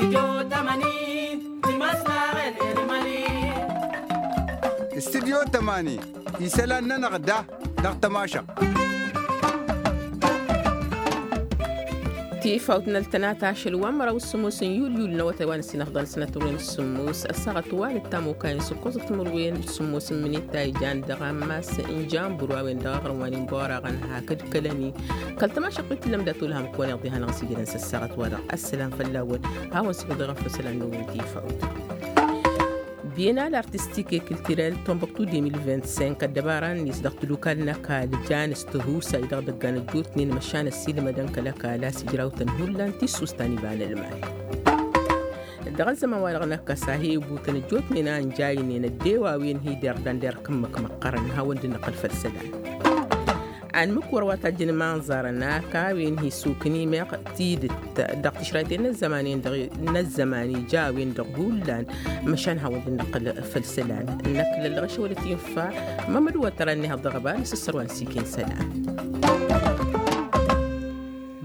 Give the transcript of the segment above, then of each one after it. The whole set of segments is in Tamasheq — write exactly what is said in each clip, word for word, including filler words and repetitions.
Studyo tămani isălan-nănăɣ da dăɣ-tămašăɣt. Tifawt n-ăltănat ašăl wa n-măraw s-sǝmmos n-yulyul n-awătay wa n-ăssinăfḍăn sănăt turwen s-sǝmmos ăssaɣăt wa n-ăttam okayăn s-ǝkkoẓăt timǝrwen s-sǝmmos n-imǝnit ta ijan dăɣ-ammas n-janbur a-wen dăɣ-aɣrǝm wa n-inbăwăraɣăn hakd kălăni. Kăl-tămašăɣt wi t-tǝllăm dat-olhăm kăwăneɣ diha-năɣ s-ijădăn s-ăssaɣăt-wa-dăɣ ăssălam fălla-wăn. Hawăn-sǝkǝḍ dăɣ-efăsălan n-ewwen tifawt. Bienal artistik e kiltirel tombăktu de mil vint-cinq ăddăbara-net dăɣ-tadukal n-ăkall jan s-tihusay dăɣ-idăggan ăjjootnen măšan ăssiilmădăn kăl-ăkall a-s ijrawtăn hullan tissust ta n-iba n-ălmal. Dăɣ-ăzzăman-wa-dăɣ n-ăkkăs a he-ibutăn ăjjootnen a ǝnjaynen ăddew a-wen hi-derdan derk ǝmmǝk măqqărăn hawăn-dd-năqqǝl făll-isălan. Anmǝk wăr wa tajjăn imanẓarăn a-k a-wen hi-suknimeɣ tidǝt dăɣ-tišrayten n-ăzzămanen dăɣ-i n-ăzzăman ija a-wen-dăɣ hullan. Măšan hawăn-dd-năqqǝl făll-isălan. Năkk lăllăɣ ašăwălăt infa mămăd wătărăn nehăḍ dăɣ-ăba n-asǝssărwa n-siken isălan.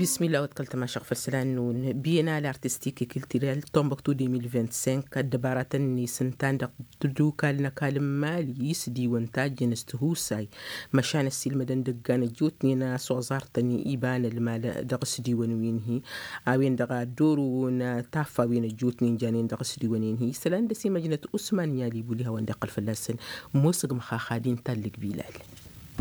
Bismillah wăt kăl-tămašăɣ făll-isălan-năwăn bienal artistik e kiltirel tombăktu de mil vint-cinq ăddăbaratăn-net ǝntan dăɣ-tadukal n-ăkall n-mali isdiwăn tajjăn s-tihusay. Măšan ăssiilmădăn dăggan ăjjootnen a-s oẓartăn iba n-ălmal dăɣ-isdiwăn wi n-hi a-wen-dăɣ a dd-orăwăn taffawen ăjjootnen janen dăɣ-isdiwăn-en-hi isălan dăr-s imăjnăt usman n-i-alibuli hawăn-dd-iqqăl fălla-săn. Ămoosăg măxax ad-intallǝg bilal.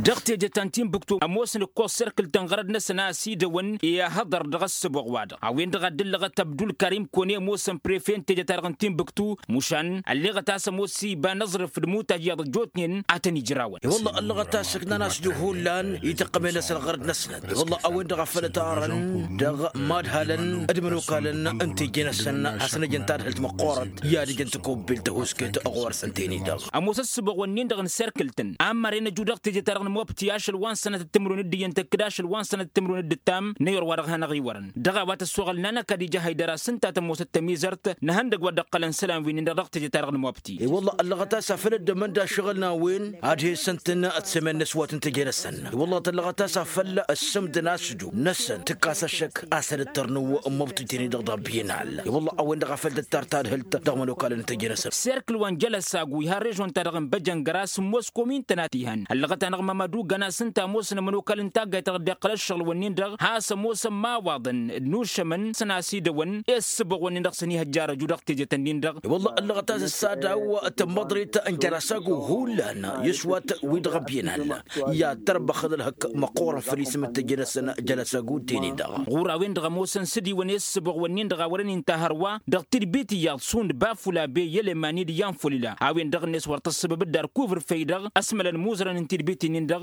Dăɣ-teje ta n-tinbǝktu ămoosăn ǝkkoẓ serkǝl-tăn ɣărăd-năsăn a ăsidăwăn i-ahăḍăr dăɣ-ăssăboɣ-wa-dăɣ a-wen-dăɣ a dd-ǝllăɣăt ăbdulkarim kăwăn-e ămoosăn prefe n-teje-ta-dăɣ n-tinbǝktu. Mušan ălleɣăt a-s ămoos iba n-aẓrǝf d-imutaj iyyăḍ ăjjootnen a tăn-ijrawăn. I-wălla ăllăɣăt a-s ǝknan a-s dd-hullan i-tăqqăme-năsăn ɣărăd-năsnăt i-wălla a-wen-dăɣ a făl ătarăn dăɣ-imadhalăn d-imănokalăn n-teje-năsăn hasăn-ăjăn tadhǝlt măqqoorăt i-ad-ǝjăn tăkobbelt tăhusket ɣur-săn teni-dăɣ. Ămoos ăssăboɣ-wǝnnin-dăɣ n-serkǝl-tăn a ămmărăn ăju dăɣ-teje-ta-dăɣ n-imwăbti ašăl wa n-sănatăt timǝrwen d-iyyăn tăkk d-ašăl wa n-sănatăt timǝrwen d-ǝttam n-eyăr wa dăɣ-hanăɣ-iwărăn. Dăɣ-a-wa tăssoɣăl n-anăkad ija haydăr-as ǝnta tămoosăt tămizărt n-ehăndăg wa dd-ăqqălăn isălan wi-nin-dăɣ dăɣ-teje-ta-dăɣ n-imwăbti. I-wălla ăllăɣăt a-s a făl ăddămăn d-ašăɣǝl n-a-wen ad-he-săn-tăn d-semen n-aswat n-teje-năsăn. I-wălla tăllăɣăt a-s a făl ăssǝmdăn a-s ǝju-năsăn tǝkkas ăššăk a-s ad-ăttărnǝw n-imwăbti teni-dăɣ dăɣ-biyănal. I-wălla a-wen-dăɣ a făl tǝttar tadhǝlt dăɣ-imănokalăn n-teje-năsăn. Serkǝl wa n-jălăsagu iha režon-ta-dăɣ n-băjăngăr a-s ǝmmoos komin-tăn a t-ihăn ăllăɣăt-anăɣ mămădu găn-as ǝnta ămoosăn ămănokal n-taggayt-ta-dăɣ dd-iqqăl ăššăɣǝl-wǝnnin-dăɣ has-ămoosăn imawaḍăn d-inušămăn săn-asidăwăn i-ǝssǝbăɣ-wǝnnin-dăɣ s-ănihăjjar ăju dăɣ-teje-tăn-nin-dăɣ. I-wălla ăllăɣăt a-s ăssadăw tămmăḍrit n-jălăsagu hullan i-s wa t-wi-dăɣ ăbiyăn alla i-ad-tărbăxăd ălhăk măqqoorăn făll-isǝm d-teje-năsăn. Jălăsagu teni-dăɣ ɣur-a-wen-dăɣ ămoosăn s-ǝdiwăn i-ǝssǝbăɣ-wǝnnin-dăɣ a wărăn inta hărwa dăɣ-tidbit iyyăḍ šund bafula bey i-elemani d-iyyăn folila a-wen-dăɣ-net wăr tǝssǝbǝb dd-arkuvǝr făy-dăɣ ăsmălăn imuzărăn n-tidbit-nin-dăɣ.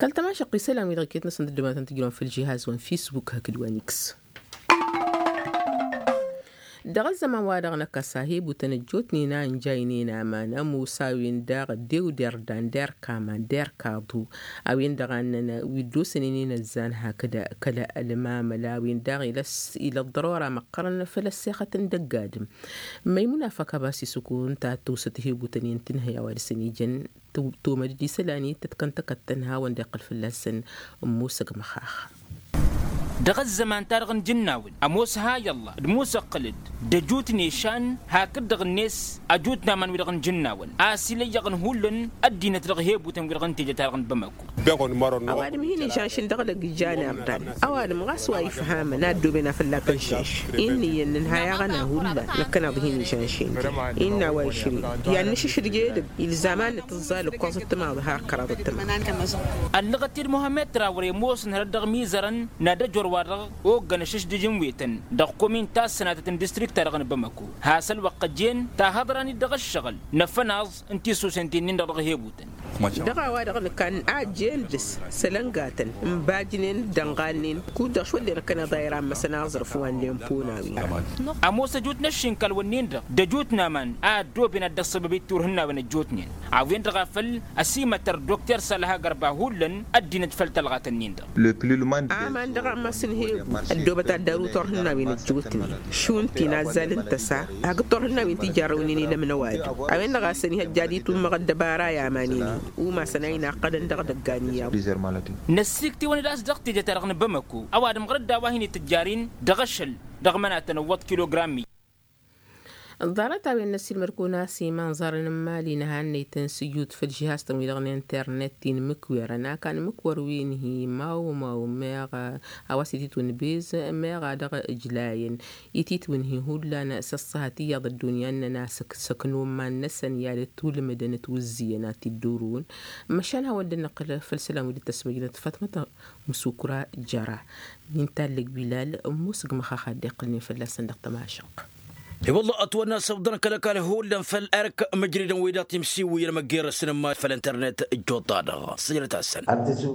Kăl-tămašăɣt isălan-wi-dăɣ iket-năsăn dd-ăddomatăn tǝjrăwăn făll-žihaz wa n-fisbuk hakd wa n-iks. Dăɣ-ăzzăman-wa-dăɣ n-ăkkăs a he-butăn ăjjootnen a ǝnjaynen aman ămoos a-wen-dăɣ ăddew d-irdan d-erk aman d-erk aḍu. A-wen-dăɣ a ǝnnăn wi dd-osănen inăzzan hakd kăl-ălmamăl a-wen-dăɣ ila ăḍḍărora măqqărăn făll-ăssexăt n-dăgg-adǝm. Măymuna făkabas isǝkun ta tosăt he-butăn i-ǝntǝnhăy a-wa dăr-săn ijăn tomăd-dd isălan i-tăt-kăn tăkăttăn hawăn-dd-iqqăl fălla-săn. Ămoosăg măxax. Dăɣ-ăzzăman-ta-dăɣ n-ijǝnnawăn ămoos ha i-ălla d-musăqqǝl-dd d-ăjut n-ešan hakd-dăɣ-net ăjut n-aman-wi-dăɣ n-ijǝnnawăn a-s ilăyyăɣăn hullan ăddinăt dăɣ-hebutăn-wi-dăɣ n-teje-ta-dăɣ n-bamăko. Ăwadǝm hin-išanšǝn dăɣ-lăg ija n-irdan. Ăwadǝm ɣas wa ifhamăn a ăddooben afăl akăn šanš. Innă iyyăn nǝnhăy aɣăna hullan năkkăneḍ hin-išanšǝn. Innă a-wa išri i-ad-nǝšǝšǝdje edăgg ilzam ad-nǝtǝẓẓal ǝkkoẓăt timaḍ har kăraḍăt timaḍ. Ăllăɣăt-dd muhammed trawre ămoosăn hărăt dăɣ-imizărăn n-ad-ăjor-wa-dăɣ oggăn ašǝšdǝj n-wetăn dăɣ-komin ta s-sănatăt n-distrikt-ta-dăɣ n-bamăko. Has-ălwăqq ăjjeen tahăḍra-net dăɣ-ǝššăɣǝl n-afănaẓ n-tisusen ti-nin-dăɣ dăɣ-hebutăn. Dăɣ-a-wa-dăɣ nǝkan a ăjjeen dăr-s sălăngatăn n-ibajnen d-ănɣalnen kud-dăɣ šwăllen ăkkăneḍ a irammasăn aẓrǝf wa n-lempo n-a-wen-dăɣ. Ămoos ăjut n-ăššinkal-wǝnnin-dăɣ d-ăjut n-aman a ăddooben ad-dd-ăṣṣăbăb i-turhǝnnawen ăjjootnen a-wen-dăɣ a făl ăsimătăr dokter sălha gărba hullan ăddinăt făll-tălɣatăn-nin-dăɣ. Aman dăɣ-ammas n-hebu ăddoobăt ad-daru turhǝnnawen ăjjootnen šund ti n-azzal n-tăsa hakd turhǝnnawen ti jarrăwnen i-lăm n-ăwadǝm. A-wen-dăɣ a-s ănihăjja ad-itummăɣ ăddăbara i-aman-in-hi. Umasăn a inaqqădăn dăɣ-dăggan iyyăḍ. Năssiktǝwăn-dd a-s dăɣ-teje-ta-dăɣ n-bamăko ăwadǝm ɣur-dd a-wa hin-itǝjjar-in dăɣ-ašăl dăɣ-mănatăn ǝwwăḍ kilogram-i. Ḍarăt-a-wen n-ăssiilmăd-kăwăn a-s imanẓarăn n-imali n-ehannăytăn s-ijut făll-žihaz-tăn-wi-dăɣ n-internet ti n-imǝkwerăn a-kan imǝkwer wi n-hi-mawmaw meɣ a-wa s-ititwǝnbez meɣ a dăɣ-ǝjlayăn ititwǝnhi hullan s-ăṣṣăhăt iyyăḍ ăddunya ǝnnăn a-s ǝksăknun iman-năsăn i-ad-ătwǝlmǝdăn ătwǝzzǝyăn a t-dd-urǝwăn. Măšan hawăn-dd-năqqǝl făll-isălan wi dd-tăsmăjnăt fatmăt musukra jăra. Min tallăg bilal ămmusǝg măxax ad-dd-iqqǝlnen fălla-săn dăɣ-tămašăq. I-wălla ătwănna s-ăbḍăn kăl-ăkall hullan făll-erk măjrădăn wi-dăɣ timsiwǝyăn măggerăsăn n-iman făll-internet. Ăjjoḍ-ta-dăɣ săjdăt-asăn.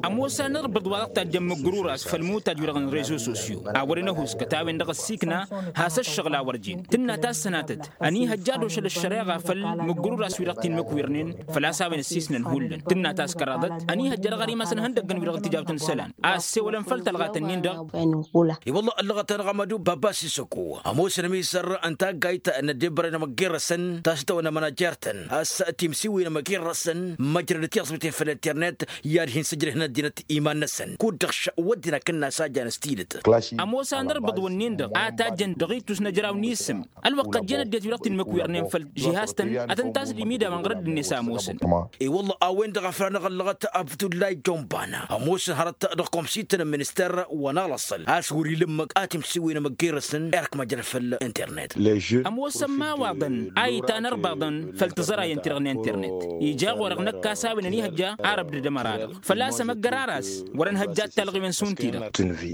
Ămoos anărbǝḍ wa dăɣ-tajjăn mǝggǝrur a-s făll-imutaj-wi-dăɣ n-rezo sosyo a wărăn ăhuuskăt a-wen-dăɣ ăssiikna has-ăššăɣǝl a wăr jen tǝnna tassănatăt ănihăjja ad-ošăl ăššăreɣa făll-mǝggǝrur a-s wi-dăɣ t-in-mǝkwirnen. Făl-a-s a-wen ăssiisnăn hullan tǝnna taskăraḍăt ănihăjja dăɣ-ar imasăn ihăndăggăn wi-dăɣ n-tijawt n-isălan a ăssewălăn făll-talɣat-ǝnnin-dăɣ. I-wălla ăllăɣăt-anăɣ amădu baba sisăko ămoosăn ămisăr n-taggayt n-ăddebbărăy n-amăggerrăsăn tasǝtawăn n-amănajert-tăn a-s timsiwǝyăn amăggerrăsăn măjrădăt iẓmiten făll-internet i-ad-hin-sǝjrăhăn ăddinăt iman-năsăn kud-dăɣ wădden akǝnnas a jan s-tidǝt. Ămoos anărbǝḍ wǝnnin-dăɣ a tajjăn dăɣ-itus n-ajraw n-isǝm ălwăqq ăjjeen ăddinăt wi-dăɣ t-in-mǝkwirnen făll-žihaz-tăn ad-tăn-tasdǝm idawăn ɣur-dd-net a ămoosăn. I-wălla a-wen-dăɣ a făl anăɣ-ăllăɣăt abdullay jonbana ămoosăn hărăt dăɣ-komsit n-minister wa n-alăṣṣăl a-s wăr-ila ǝmmǝk a timsiwǝyăn amăggerrăsăn erk măjrăd făll-internet. Ămoosăn imawaḍăn a itan ărbaḍăn făll-tiẓărayăn-ti-dăɣ n-internet ija ɣur-dăɣ năkk a-s a-wen ănihăjja arăbdăd ămăra-dăɣ făl-a-s amăggărar a-s wăr-ănhăjja ad-talɣiwen šund-ti-dăɣ.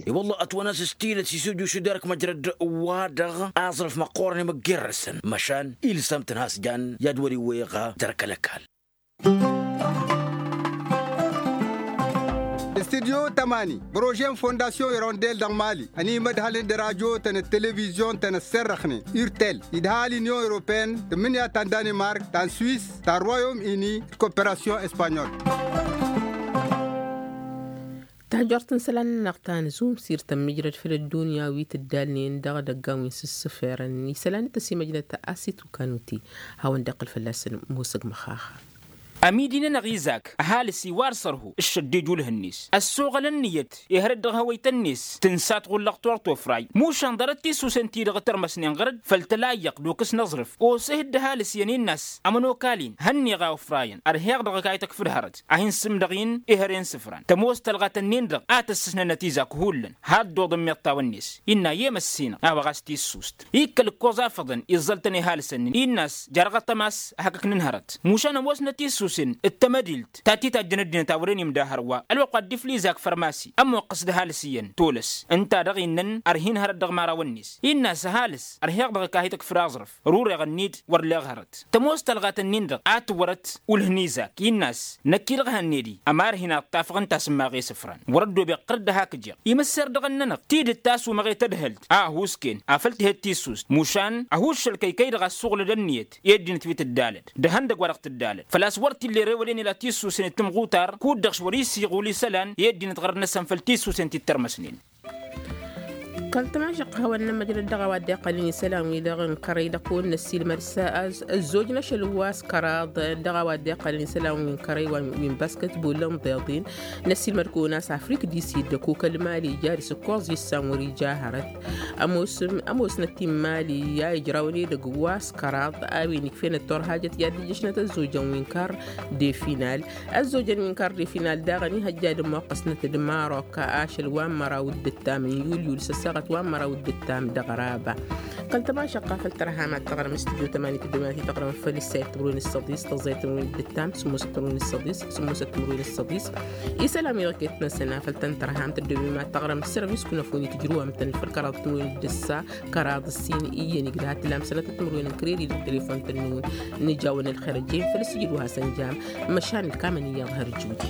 I-wălla ătwănna s-tidăt s-isǝjjušǝd erk măjrăd wa-dăɣ aẓrǝf măqqoorăn i-măggerrăsăn măšan ilsăm-tăn has-jan i-ad-wăr-iwweɣ. Dăr-kăl-ăkall. Studyo tămani bărožen fondasyon irondel dăɣ-mali ănimădhălăn d-radyo-tăn d-televizyon-tăn ăsserrăxnen urtel idhal inyon europeen tǝmmǝnǝya ta n-danimark ta n-swis ta n-royom ini d-koperasyon espanyol. Tajort n-isălan-nănăɣ ta n-zumsir tămmǝjrăd făll-ăddunya wi tǝddalnen dăɣ-idăggan wi n-sǝssǝferăn isălan d-tăsimăjnăt a-s itukanuti hawăn-dd-iqqǝl fălla-săn musăg măxaxa. Ămidi-nănăɣ izak ăhalǝs iwar sărhu ǝššăddij ulh-net ăssoɣăl ǝnniyăt ihăr-dd dăɣ-hawăyt-net tǝnsa tɣullăɣ tor tofray mušan ḍarăt tissusen-ti-dăɣ tărmăsnen ɣăr-dd făll-tălayyăɣ d-okǝs n-aẓrǝf oseh-dd ăhalǝs iyyăn innă a-s ămănokal-in hănneɣ a ofrayăn ărheɣ dăɣ-ăkayăt ăkf d-hărăt a hin-sǝmdăɣ-in ihăre n-isǝfran tămoos tălɣa-tăn-in-dăɣ a tăssǝsnănăt izak hullan had-dd-oḍăn meḍtawăn-net innă i-emăssinăɣ a-wa ɣas tissust ikkăl ǝkkoẓ afăḍăn iẓẓăl-tăn ihalǝsăn-in innă a-s jarɣăt ămas ăhăkăknăn hărăt mušan ămoosnăt issusen d-tamădilt ta t-itajjăn ăddinăt a wăren imda hărwa ălwăqq wa dd-ifla izak fărmasi ămmoqqăs d-ăhalǝs iyyăn tolăs ǝnta-dăɣ innăn ărhin hărăt dăɣ-imărawăn-net innă a-s ăhalǝs ărheɣ dăɣ-ăkahit ăkf d-aẓrǝf rureɣ-ǝnni-d wăr leɣ hărăt tămoos tălɣat-ǝnnin-dăɣ a tǝwwărăt ulh n-izak innă a-s năkk-i-dăɣ hanned-i ămarhin a ǝṭṭafăɣ ǝnta a-s ǝmmaɣ i-isǝfran wăr-ăddoobeɣ ɣur-dd ăhak ǝjeɣ imǝsser-dăɣ ǝnnănăɣ tidǝt ta ăsumăɣet ădhălt a ăhuusken afăl tǝhed tissust mušan ăhuuššăl kăykăy-dăɣ a ăssuɣǝlăd ǝnniyăt i-ăddinăt wi tǝddalăd d-ehăndăgg wa dăɣ-tǝddalăd făl-a-s wăr t-illa ere wălen ila tissusen d-tǝmɣutar kud-dăɣ š-wăr-isiɣul isălan i-ăddinăt ɣărăt-năsăn făll-tissusen ti t-ărmăsnen. Kăl-tămašăq hawăn-nămăjrăd dăɣ-a-wa dd-iqqălăn isălan-wi-dăɣ n-kărăy-dăɣ kăwăn-năssiilmăd s-ăzzoj n-ašăl wa s-kăraḍ dăɣ-a-wa dd-iqqălăn isălan-wi n-kărăy wa n-basketbol n-iḍeḍin. Năssiilmăd kăwăn-as afrik disid d-ăkuk ălmali ija dăr-s ǝkkoẓ issan wăr-ija hărăt ămoosnăt imali i-a ijrawăn edăgg wa s-kăraḍ a-wen ikfenăt turhajăt i-ad-dd-ǝjjăšnăt ăzzojăn wi n-kăr d-efinal. Ăzzojăn wi n-kăr d-efinal daɣ ănihăjja ad-ămmuqqăsnăt d-marok ašăl wa n-măraw d-ǝttam n-yulyul s-ăssaɣăt wa n-măraw d-ǝttam d-ăɣraba. Kăl-tămašăqqa făll-tărham ad-tăɣrăm s-tǝjjo tămani tǝddǝm ad-hi-tăɣrăm făll-issayăt timǝrwen s-săḍis tăẓẓayăt timǝrwen d-ǝttam sǝmmosăt timǝrwen s-săḍis sǝmmosăt timǝrwen s-săḍis. Isălan wi-dăɣ ket-năsăn a făl tăn-tărham tǝddǝm ima ad-tăɣrăm s-sărvis kunăfoni tǝjrǝwăm-tăn făll-kăraḍ timǝrwen d-ǝssa kăraḍ ǝssin iyyăn igdăha tǝlam sănătăt timǝrwen n-kăreri dăɣ-telefon-tăn-năwăn. Nǝja-wăn ălxer ăjjeen făll-sǝjǝd wa hasăn-jam măšan ǝlkamăn iyyăḍ hărjudi.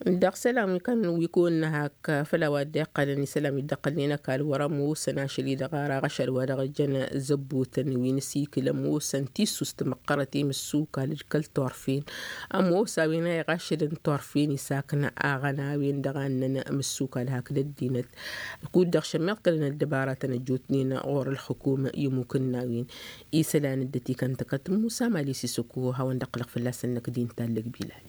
Dăɣ-isălan wi kăn wi kăwăn-năhak făll-a-wa dd-iqqălăn isălan wi dd-iqqălnen ăkall wăr-ămoosăn ašăl-i-dăɣ ar aɣăšad-wa-dăɣ jăn zăbbotăn wi n-asikǝl ămoosăn tissust măqqărăt i-imǝssukal d-kăl-turfen. Ămoos a-wen a iɣašădăn turfen isakna aɣăn a-wen-dăɣ a ǝnnăn imǝssukal hakd ăddinăt. Kud-dăɣ šămmiḍ kălăn ăddăbaratăn ăjjootnen ɣur-ălxǝkum i-ămmukăn n-a-wen. Isălan dd-ătikăn tăkăt musa mali sisăku hawăn-dd-ăqqǝlăɣ fălla-săn năkk d-intallăg bilal.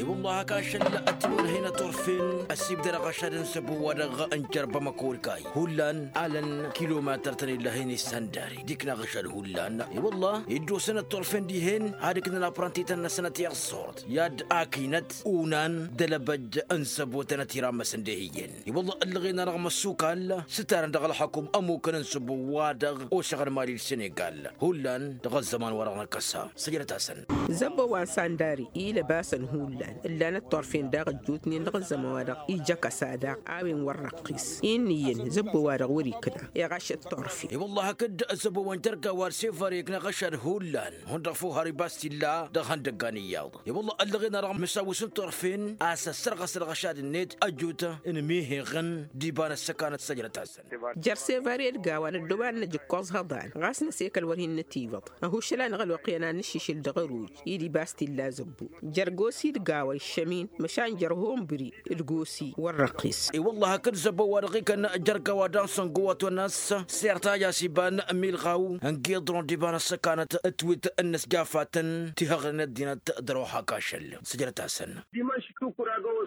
I-wălla hak ašăl ăttimănăhăynăt turfen ăsibdăr aɣăšad n-săbo-wa-dăɣ n-jărbăm ăkăwălkay hullan alăn kilometăr-tăn illăhăyne săndari d-ikna aɣăšad hullan. I-wălla iddosănăt turfen dihen ad-ǝknăn apranti-tăn-năsăn ătiẓẓurt i-ad-akinăt unan d-alăbăj n-săbo-tăn ătiramăsăn dehiyyen. I-wălla ǝllăɣen-anăɣ măssukal s-ǝtarăn dăɣ-ălxăkum ămmukăn n-săbo-wa-dăɣ osăɣăn mali d-senegal hullan dăɣ-ăzzăman wa-dăɣ năkkăsa. Săjdăt-asăn. Zăbbo wa n-sandari ilăbasăn hullan ǝllanăt turfen daɣ ăjjootnen dăɣ-ăzzăman wa-dăɣ ija kăsa daɣ a-wen wăr răqqis. Innă iyyăn zăbbo wa-dăɣ wăr-ikna iɣašăt turfen. I-wălla hakd zăbbo wa n-jărga wa d-sevar ikna ɣăšad hullan hundăɣ făw har ibas t-illa dăɣ-ihăndăggan iyyăḍ. I-wălla ăllăɣen-anăɣ măsawǝs n-turfen a-s ăssărɣăs ălɣăšad-net ăjut n-imiheɣăn d-iba n-ăssăkanăt săjdăt-asăn. Jer-sevar i-ălgawa n-ăddooba n-inăj ǝkkoẓ hăḍan ɣas n-asekăl wăr hin-nătivăḍ. Ăhuššăl-anăɣ ălwăqq i-ănannǝššǝšǝl dăɣ-ăruj i-dd-ibas t-illa zăbbu jer-gosi d-gawa iššămin măšan jer-hombri d-gosi wăr-răqqis. I-wălla hakd zăbbu wa dăɣ-ikăn jer-gawa daɣ n-săngo wa tonnăs sert a ija s-iba n-milɣaw n-giḍron d-iba n-ăssăkanăt d-tiwit n-inǝsjafatăn tihăɣnen ăddinăt dăr-wa hak ašăl. Săjdăt-asăn.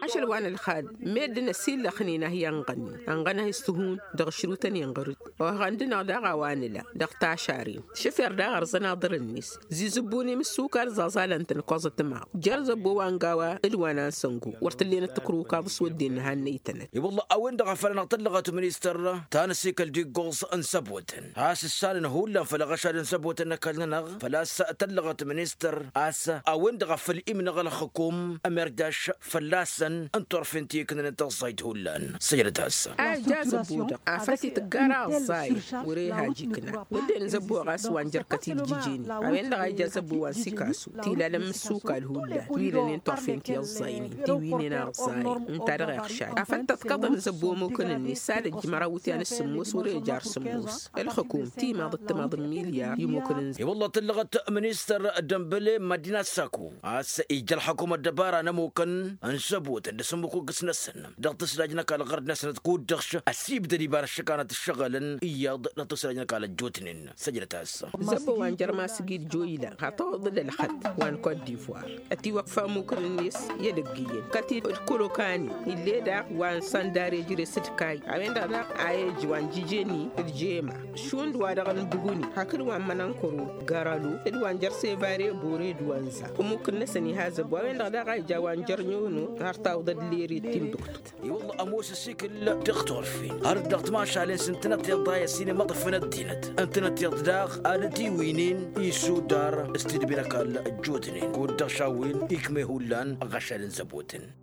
Ašăl wa n-ălxad meddǝn ăsillăxnen a hi-ănɣănni ănɣănăh s-tihun dăɣ-ašrutăn inɣăr-dd. Ohăɣăn-dăɣ daɣ a-wa nǝla dăɣ-tašaren šăfer daɣ ărzăn aḍăr-net. Zizǝbbun imǝssukal ẓaẓalăn-tăn ǝkkoẓăt timaḍ jer-zăbbo wa n-gawa d-wa n-ansăngo wăr t-ǝllenăt tǝkrǝwkaḍ s-wădden n-hannăy-tănăt. I-wălla a-wen-dăɣ a făl anăɣ-tăllăɣăt ministăr ta n-asikăl d-iggoẓ n-săbotăn has-ǝssanăn hullan făll-aɣăšad n-săbotăn n-ăkall-nănăɣ făl-a-s tăllăɣăt ministăr a-s a-wen-dăɣ a făl imnăɣ ălxǝkum ămerjaš fălla-săn n-turfen ti ǝknănăt ăẓẓayt hullan. Săjdăt-as. A ija zăbbo-dăɣ afăl t-tǝggara ăẓẓayăn wăr-e hajj ikna wădden zăbbo ɣas wa n-jărkăt-i d-jijeni a-wen-dăɣ a ija zăbbo wa n-sikasu tilalăn mǝssukal hullan wi lănen turfen ti ăẓẓaynen ti winen aẓẓayăn ǝnta-dăɣ iɣšad afăl tăḍkăḍăn zăbbo ămukăn-net s-ad-ăjj măraw wǝtyan s-sǝmmos wăr-e jar sǝmmos. Ălxǝkum timaḍ d-timaḍ n-milyar i-ămukăn-net. I-wălla tǝllăɣăt ministăr dămbăle măddina saku a-s ija ălxăkum ăddăbara n-ămukăn n-săbotăn d-asǝmmǝk uggǝs-năsăn dăɣ-tǝslaj n-ăkall ɣărd-năsnăt kud-dăɣ ăsibdăd iba n-ăššăkanăt ǝššăɣǝlăn iyyăḍ dăɣ-tǝslaj n-ăkall ăjjootnen. Săjdăt-as. Zăbbo wa n-jărma s-gid joyla hataw ăḍḍăd ălxăt wa n-kot divoir ătiwăkfa ămukǝn-net i-edăgg iyyăn kăt-dd-kolokani ill'-e daɣ wa n-sandare jere s-dd-kayy a-wen-dăɣ daɣ a ej wa n-jijeni d-jema šund wa dăɣ-nǝbǝguni hakd wa n-mănănkăro gărălu d-wa n-jăr sevare bore d-wa n-za ămukǝn-năsăn iha zăbbo a-wen-dăɣ daɣ a ija wa n-jăr nyono har tawǝḍăd lere timduktu. I-wălla ămoos ăsikǝl dăɣ-turfen har dăɣ-timašalen s-ǝntănăt iḍa i-ăsinimăḍăfăn ăddinăt ǝntănăt iḍa daɣ ad-ătiwǝynen isudar s-tidbi n-ăkall ăjjootnen kud-dăɣ šawǝyăn ikme hullan ăɣašad n-zăbotăn.